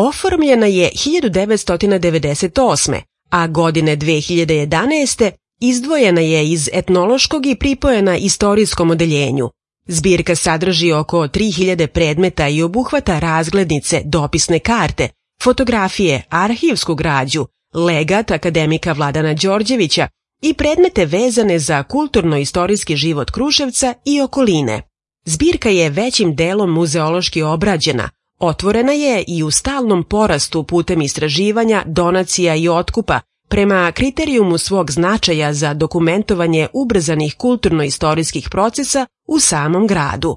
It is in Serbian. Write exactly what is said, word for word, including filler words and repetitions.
Oformljena je hiljadu devetsto devedeset osme. a godine dve hiljade jedanaeste. izdvojena je iz etnološkog i pripojena istorijskom odeljenju. Zbirka sadrži oko tri hiljade predmeta i obuhvata razglednice, dopisne karte, fotografije, arhivsku građu, legat akademika Vladana Đorđevića i predmete vezane za kulturno-istorijski život Kruševca i okoline. Zbirka je većim delom muzeološki obrađena, otvorena je i u stalnom porastu putem istraživanja, donacija i otkupa prema kriterijumu svog značaja za dokumentovanje ubrzanih kulturno-istorijskih procesa u samom gradu.